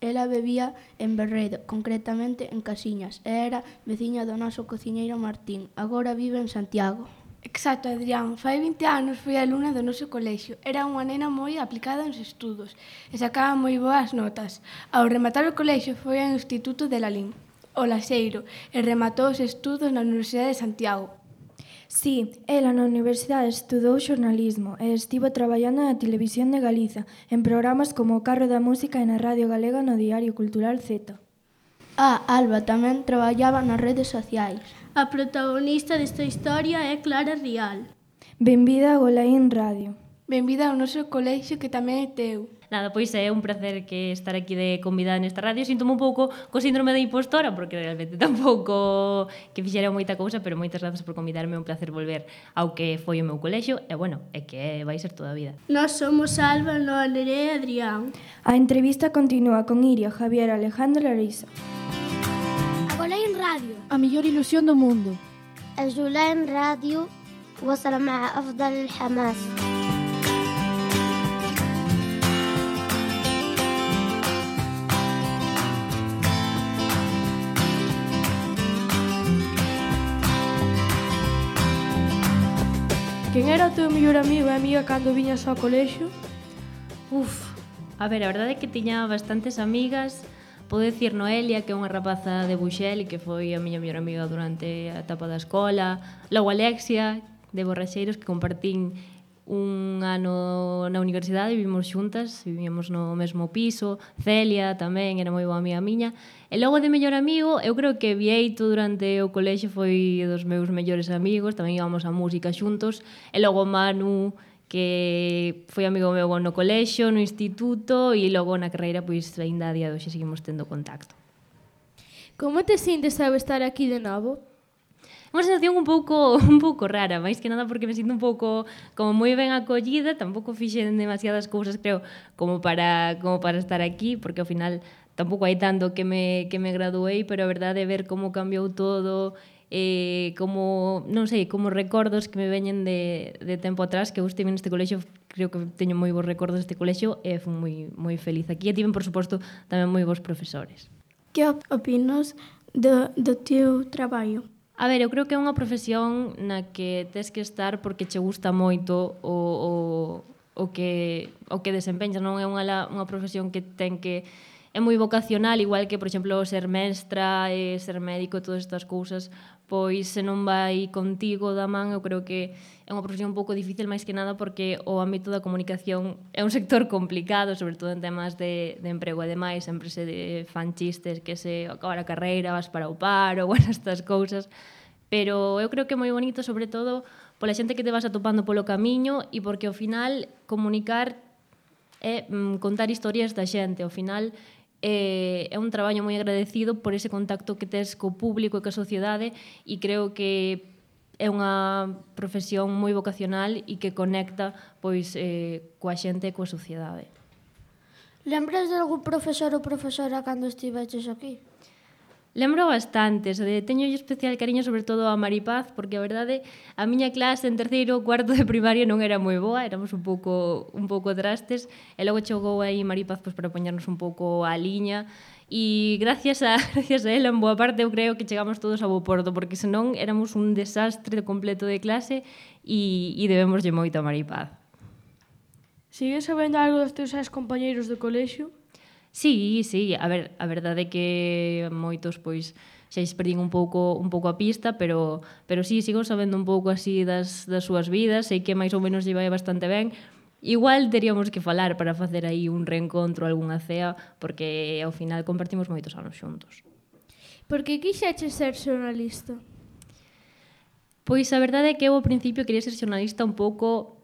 Ela vivía en Berredo, concretamente en Casiñas, e era veciña do noso cociñeiro Martín. Agora vive en Santiago. Exacto, Adrián. Fai 20 anos fui alumna do noso colexio. Era unha nena moi aplicada nos estudos e sacaba moi boas notas. Ao rematar o colexio foi ao Instituto de Lalín, o Laxeiro, e rematou os estudos na Universidade de Santiago. Sí, ela na universidade estudou xornalismo e estivo traballando na Televisión de Galiza, en programas como O Carro da Música e na Radio Galega no Diario Cultural Z. Alba tamén traballaba nas redes sociais. A protagonista desta historia é Clara Rial. Benvida a Golaín Radio. Benvida ao noso colexio que tamén é teu. Nada, pois é un placer que estar aquí de convidada nesta radio. Síntome un pouco co síndrome da impostora, porque realmente tampouco que fixera moita cousa, pero moitas grazas por convidarme, é un placer volver ao que foi o meu colexio, e bueno, é que vai ser toda a vida. Nós somos Alba, Noa, Nerea e Adrián. A entrevista continúa con Iria, Javier, Alejandro e Larisa. Golaín Radio. A mellor ilusión do mundo. الجولان راديو وصل مع أفضل الحماس. Quen era o teu mellor amigo e amiga cando viñas ao colexio? A ver, a verdade é que tiña bastantes amigas. Podo dicir Noelia, que é unha rapaza de Buxel e que foi a miña mellor amiga durante a etapa da escola. Logo Alexia, de Borraxeiros, que compartín un ano na universidade, vivimos xuntas, vivíamos no mesmo piso. Celia tamén era moi boa amiga miña. E logo de mellor amigo, eu creo que Vieito durante o colexio foi dos meus mellores amigos, tamén íbamos a música xuntos. E logo Manu, que foi amigo meu no colexio, no instituto, e logo na carreira, pois ainda a día de hoxe seguimos tendo contacto. Como te sintes ao estar aquí de novo? Unha sensación un pouco rara, máis que nada porque me sinto un pouco como moi ben acollida, tampouco fixen demasiadas cousas, creo, como para estar aquí, porque ao final tampouco hai tanto que me graduei, pero a verdade é ver como cambiou todo, como, non sei, como recordos que me veñen de tempo atrás, que eu estive neste colexio, creo que teño moi bons recordos deste colexio e fui moi feliz aquí, e tiven, por suposto, tamén moi bons profesores. Que opinas do teu traballo? A ver, eu creo que é unha profesión na que tes que estar porque che gusta moito o que desempeñas, non é unha profesión que ten que é moi vocacional, igual que, por exemplo, ser mestra, ser médico, todas estas cousas, pois se non vai contigo da man, eu creo que é unha profesión un pouco difícil, máis que nada porque o ámbito da comunicación é un sector complicado, sobre todo en temas de emprego e demais, sempre se fan chistes que se acaba a carreira, vas para o paro, bueno, estas cousas, pero eu creo que é moi bonito, sobre todo, pola xente que te vas atopando polo camiño e porque ao final comunicar é contar historias da xente, ao final é un traballo moi agradecido por ese contacto que tes co público e coa sociedade, e creo que é unha profesión moi vocacional e que conecta pois coa xente e coa sociedade. Lembras de algún profesor ou profesora cando estiveches aquí? Lembro bastantes, teño especial cariño sobre todo a Maripaz, porque a verdade a miña clase en terceiro ou cuarto de primaria non era moi boa, éramos un pouco trastes, e logo chegou aí Maripaz pois, para poñernos un pouco á liña, e gracias a ela en boa parte eu creo que chegamos todos a bo porto, porque senón éramos un desastre completo de clase e debémoslle moito a Maripaz. Sigues sabendo algo dos teus compañeiros do colexio? Sí, a ver, a verdade é que moitos pois xa perdín un pouco a pista, pero sí, sigo sabendo un pouco así das súas vidas, sei que máis ou menos lle vai bastante ben. Igual teríamos que falar para facer aí un reencontro, algunha cea, porque ao final compartimos moitos anos xuntos. Por que quixeches ser xornalista? Pois a verdade é que eu ao principio quería ser xornalista un pouco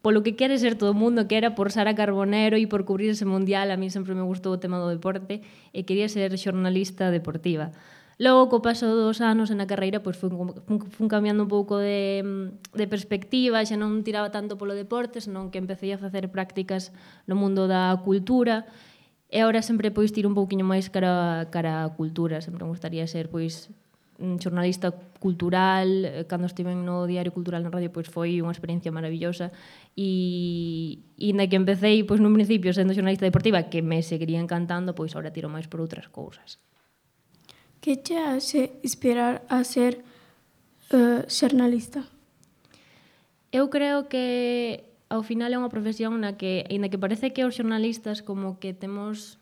polo que quere ser todo o mundo, que era por Sara Carbonero e por cubrir ese mundial. A mí sempre me gustou o tema do deporte e quería ser xornalista deportiva. Logo, co paso dos anos na carreira, pois fun cambiando un pouco de perspectiva, xa non tiraba tanto polo deporte, senón que empecé a facer prácticas no mundo da cultura, e agora sempre pois tiro un pouquiño máis cara a cultura, sempre me gustaría ser pois xornalista cultural, cando estiven no Diario Cultural na radio, pois foi unha experiencia maravillosa, e na que empecéi pois nun principio sendo xornalista deportiva, que me seguiría encantando, pois agora tiro máis por outras cousas. Que che hace inspirar a ser xornalista? Eu creo que ao final é unha profesión na que, aínda que parece que os xornalistas como que temos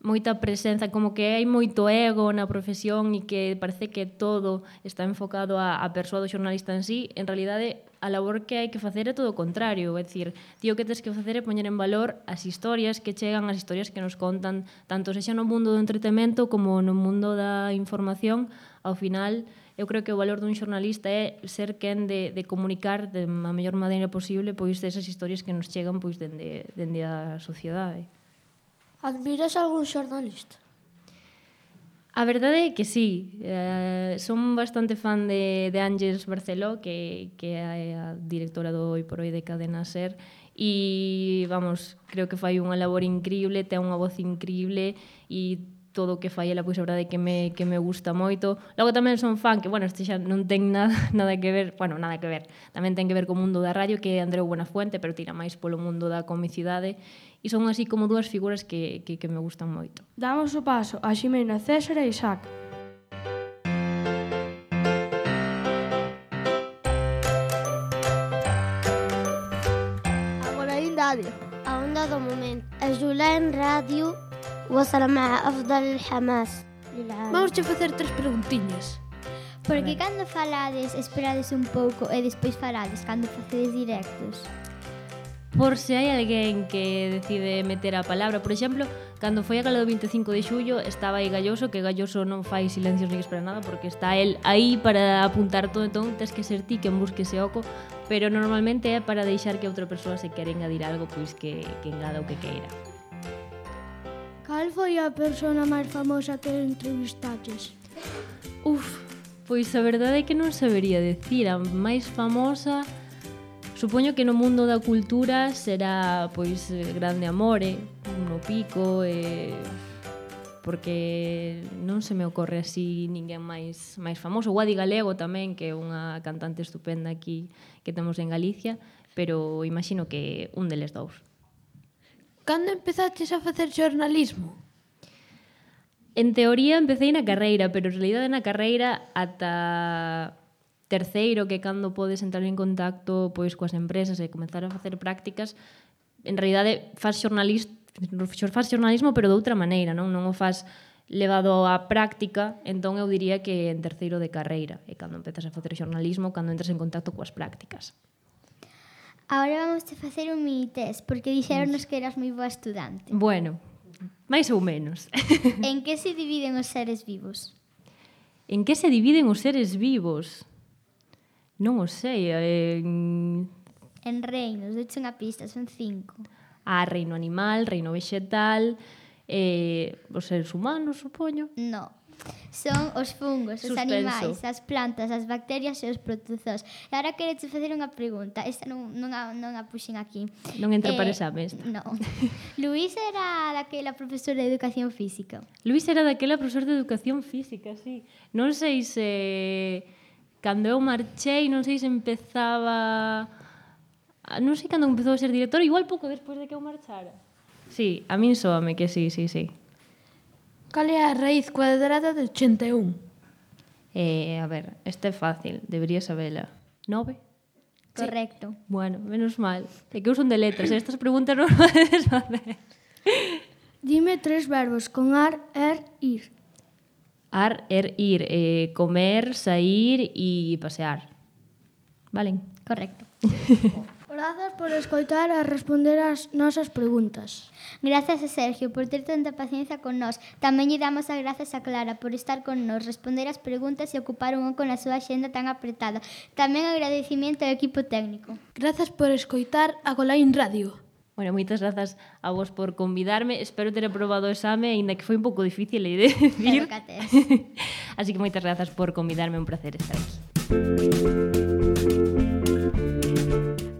moita presenza, como que hai moito ego na profesión e que parece que todo está enfocado a persoa do xornalista en sí, en realidade a labor que hai que facer é todo o contrario, é dicir, ti o que tens que facer é poñer en valor as historias que chegan, as historias que nos contan, tanto sexa no mundo do entretemento como no mundo da información. Ao final, eu creo que o valor dun xornalista é ser quen de comunicar de a mellor maneira posible pois esas historias que nos chegan pois dende a sociedade. Admiras algún xornalista? A verdade é que sí, son bastante fan de Ángeles Barceló, que é a directora do Hoy por Hoy de Cadena Ser, e, vamos, creo que fai unha labor increíble, ten unha voz increíble, e todo o que fai ela, pois a verdade é que me gusta moito. Logo tamén son fan, que, bueno, este xa non ten nada que ver, bueno, nada que ver, tamén ten que ver co mundo da radio, que é Andreu Buenafuente, pero tira máis polo mundo da comicidade, e son así como dúas figuras que me gustan moito. Damos o paso a Ximena, César e Isaac. Agora en radio. A onda do momento. أجولان راديو وصل مع أفضل الحماس للعالم. Vamos a facer 3 preguntiñas. Porque cando falades, esperades un pouco e despois falades cando facedes directos. Por se hai alguén que decide meter a palabra, por exemplo, cando foi a gala do 25 de xullo estaba aí Galloso, que Galloso non fai silencios ni que espera nada porque está el aí para apuntar todo, entón tes que ser ti quen busque ese oco, pero normalmente é para deixar que outra persoa se quere engadir algo, pois que engada o que queira. Cal foi a persona máis famosa que entrevistaches? Pois a verdade é que non sabería decir, a máis famosa. Supoño que no mundo da cultura será pois Grande Amore, no Pico, porque non se me ocorre así ninguén máis famoso. O Adi Galego tamén, que é unha cantante estupenda aquí que temos en Galicia, pero imagino que un deles dous. Cando empezaches a facer xornalismo? En teoría empecé na carreira, pero en realidade na carreira ata terceiro, que cando podes entrar en contacto pois coas empresas e comezar a facer prácticas, en realidade faz xornalismo pero de outra maneira, non o faz levado á práctica, entón eu diría que en terceiro de carreira é cando empezas a facer xornalismo, cando entras en contacto coas prácticas. Agora vamos a facer un mini test, porque dixeronnos que eras moi boa estudante. Bueno, máis ou menos. En que se dividen os seres vivos? En que se dividen os seres vivos? Non o sei. En reinos, deuche unha pista, son 5. Reino animal, reino vegetal, os seres humanos, supoño. No. Son os fungos, os Suspenso. animais, as plantas, as bacterias e os protozoos. E agora quereche facer unha pregunta. Esta non a puxen aquí. Non entra para exame esta. No. Luís era daquela profesora de educación física. Luís era daquela profesor de educación física, sí. Non sei se cando eu marchei, non sei se empezaba. Non sei cando empezou a ser director, igual pouco despois de que eu marchara. Sí, a min soame que sí. Cal é a raíz cuadrada de 81? A ver, este é fácil, debería sabela. 9? Correcto. Bueno, menos mal. É que eu son de letras, estas preguntas non podes facer. Dime 3 verbos con ar, ir. Ar, ir, comer, sair e pasear. Valen? Correcto. Grazas por escoitar e responder as nosas preguntas. Gracias a Sergio por ter tanta paciencia con nós. Tamén lle damos as grazas a Clara por estar con nós, responder as preguntas e ocupar un oco na súa xenda tan apretada. Tamén agradecimiento ao equipo técnico. Grazas por escoitar a Golaín Radio. Bueno, moitas grazas a vos por convidarme. Espero ter aprobado o exame, aínda que foi un pouco difícil de decir. Pero que tes. Así que moitas grazas por convidarme, un placer estar aquí.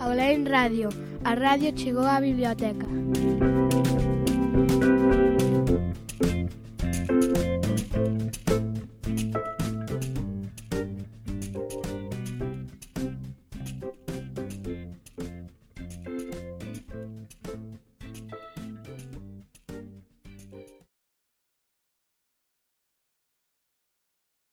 A Golaín Radio, a radio chegou á biblioteca.